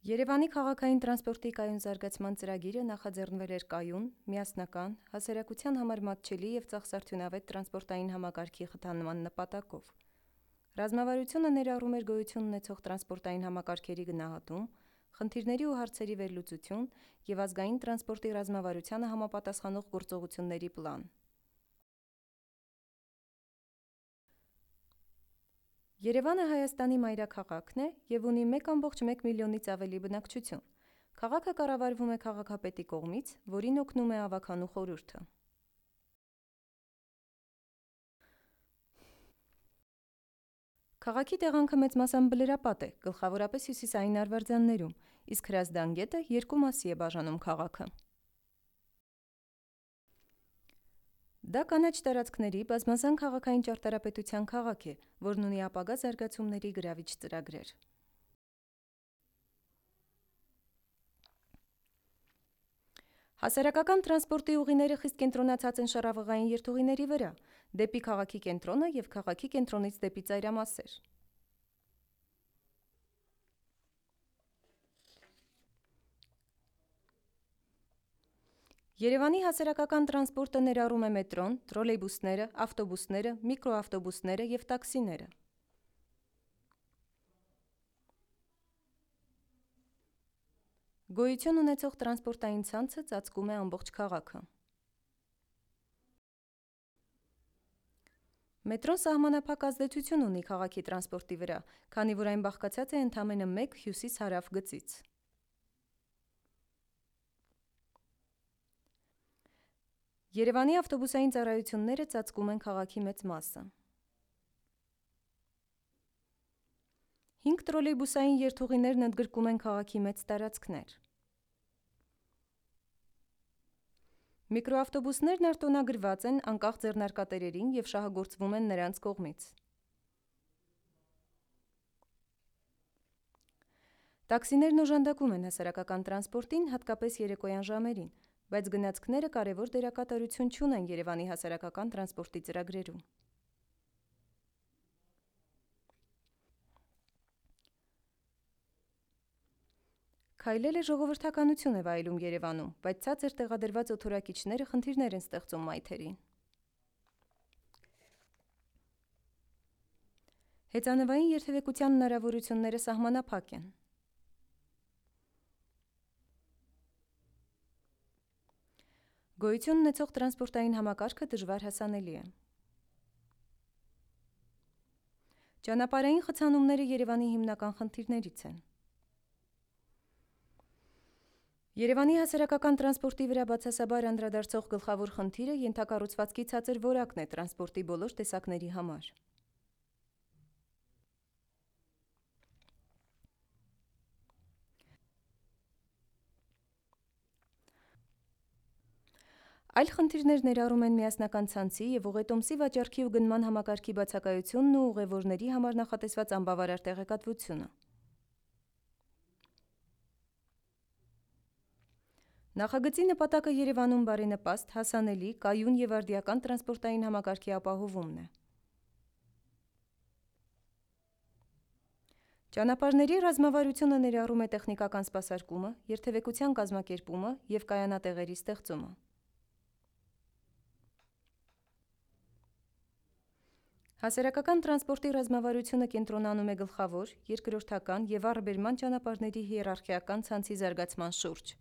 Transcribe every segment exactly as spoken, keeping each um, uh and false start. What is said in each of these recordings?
Երևանի քաղաքային տրանսպորտի կայուն զարգացման ծրագիրը նախաձեռնվել էր կայուն, միասնական, հասարակության համար մատչելի և ծախսարդյունավետ տրանսպորտային համակարգի խթանման նպատակով։ Ռազմավարությունը ներառում էր գոյություն ունեցող տրանսպորտային համակարգերի գնահատում, խնդիրների ու հարցերի վերլուծություն և ազգային տրանսպորտի ռազմավարությանը համապատասխանող գործողությունների պլան։ Երևանը Հայաստանի մայրաքաղաքն է և ունի մեկ կόμma մեկ միլիոնից ավելի բնակչություն։ Քաղաքը կառավարվում է քաղաքապետի կողմից, որին օգնում է ավագանու խորհուրդը։ Քաղաքի տեղանքը մեծ մասամբ բլրապատ է, գլխավորապես հյուսիսային արվարձաններում, իսկ Հրազդան գետը երկու մասի է բաժանում քաղաքը։ Դա կանաչ տարածքների բազմազան քաղաքային ճարտարապետության քաղաք է, որն ունի ապագա զարգացումների գրավիչ ծրագրեր։ Հասարակական տրանսպորտի ուղիները խիստ կենտրոնացած են շառավղային երթուղիների վրա, դեպի քաղաքի կենտրոնը և քաղաքի կենտրոնից դեպի ծայրամասեր։ Երևանի հասարակական տրանսպորտը ներառում է մետրոն, տրոլեյբուսները, ավտոբուսները, միկրոավտոբուսները և տաքսիները։ Գոյություն ունեցող տրանսպորտային ցանցը ծածկում է ամբողջ քաղաքը։ Մետրոն սահմանափակ ազդեցություն ունի քաղաքի տրանսպորտի վրա, քանի որ այն բաղկացած է ընդամենը մեկ հյուսիս-հարավ գծից։ Երևանի ավտոբուսային ծառայությունները ծածկում են քաղաքի մեծ մասը։ Հինգ տրոլեյբուսային երթուղիներն ընդգրկում են քաղաքի մեծ տարածքներ։ Միկրոավտոբուսներն արտոնագրված են անկախ ձեռնարկատերերին և շահագործվում են նրանց կողմից։ Տաքսիներն օժանդակում են հասարակական տրանսպորտին, հատկապես երեկոյան ժամերին, բայց գնացքները կարևոր դերակատարություն չունեն Երևանի հասարակական տրանսպորտի ծրագրերում։ Քայլելը ժողովրդականություն է վայելում Երևանում, բայց ցածր տեղադրված օդորակիչները խնդիրներ են ստեղծում մայթերին։ Հեծանվային երթևեկության հնարավորությունները սահմանափակ են։ Գոյություն ունեցող տրանսպորտային համակարգը դժվար հասանելի է։ Ճանապարհային խցանումները Երևանի հիմնական խնդիրներից են։ Երևանի հասարակական տրանսպորտի վրա բացասաբար անդրադարձող գլխավոր խնդիրը ենթակառուցվածքի ցածր որակն է տրանսպորտի բոլոր տեսակների համար։ Այլ խնդիրներ ներառում են միասնական ցանցի և ուղետոմսի վաճառքի ու գնման համակարգի բացակայությունն ու ուղևորների համար նախատեսված անբավարար տեղեկատվությունը։ Նախագծի նպատակը Երևանում բարենպաստ, հասանելի, կայուն և արդիական տրանսպորտային համակարգի ապահովումն է։ Ճանապարհների ռազմավարությունը ներառում է տեխնիկական սպասարկումը, երթևեկության կազմակերպումը և կայանատեղերի ստեղծումը։ Հասարակական տրանսպորտի ռազմավարությունը կենտրոնանում է գլխավոր, երկրորդական և առբերման ճանապարհների հիերարխիական ցանցի զարգացման շուրջ։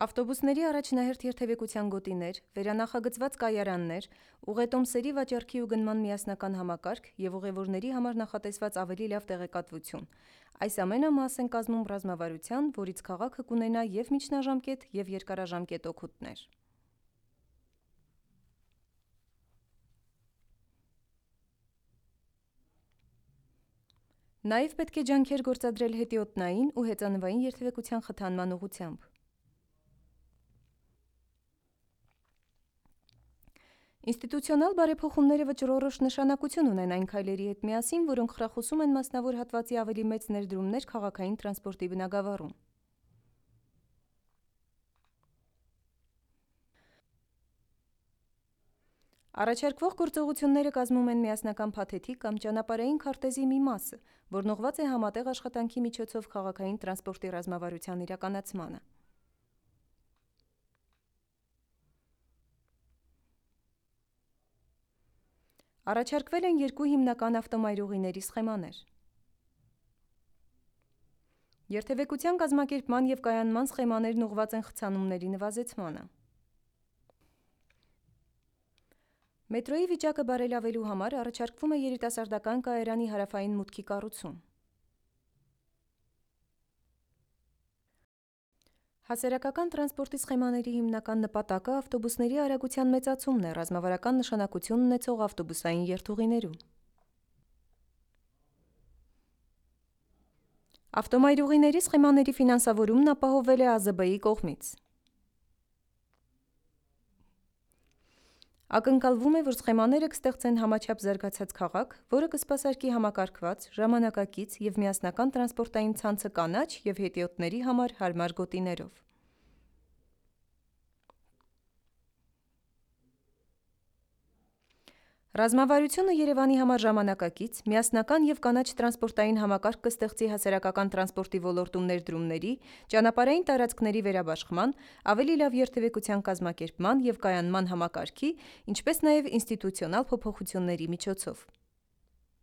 Ավտոբուսների առաջնահերթ երթևեկության գոտիներ, վերանախագծված կայարաններ, ուղետոմսերի վաճառքի ու գնման միասնական համակարգ և ուղևորների համար նախատեսված ավելի լավ տեղեկատվություն։ Այս ամենը մաս են կազմում ռազմավարության, որից քաղաքը կունենա և միջնաժամկետ, և երկարաժամկետ օգուտներ։ Նաև պետք է ջանքեր գործադրել հետիոտնային ու հեծանվային երթևեկության խթանման ուղղությամբ։ Ինստիտուցիոնալ բարեփոխումները վճռորոշ նշանակություն ունեն այն քայլերի հետ միասին, որոնք խրախուսում են մասնավոր հատվածի ավելի մեծ ներդրումներ քաղաքային տրանսպորտի բնագավառում։ Առաջարկվող գործողությունները կազմում են միասնական փաթեթի կամ ճանապարհային քարտեզի մի մասը, որն ուղղված է համատեղ աշխատանքի միջոցով քաղաքային տրանսպորտի ռազմավարության իրականացմանը։ Առաջարկվել են երկու հիմնական ավտոմայրուղիների սխեմաներ։ Երթևեկության կազմակերպման և կայանման սխեմաներն ուղղված են խցանումների նվազեցմանը։ Մետրոյի վիճակը բարելավելու համար առաջարկվում է երիտասարդական կայարանի հարավային մուտքի կառուցում։ Հասարակական տրանսպորտի սխեմաների հիմնական նպատակը ավտոբուսների արագության մեծացումն է ռազմավարական նշանակություն ունեցող ավտոբուսային երթուղիներում։ Ավտոմայրուղիների սխեմաների ֆինանսավորումն ապահովվել է ԱԶԲ-ի կողմից։ Ակնկալվում է, որ սխեմաները կստեղծեն համաչափ զարգացած քաղաք, որը կսպասարկի համակարգված, ժամանակակից և միասնական տրանսպորտային ցանցը կանաչ և հետիոտների համար հարմար գոտիներով։ Ռազմավարությունը Երևանի համար ժամանակակից, միասնական և կանաչ տրանսպորտային համակարգ կստեղծի հասարակական տրանսպորտի ոլորտում ներդրումների, ճանապարհային տարածքների վերաբաշխման, ավելի լավ երթևեկության կազմակերպման և կայանման համակարգի, ինչպես նաև ինստիտուցիոնալ փոփոխությունների միջոցով։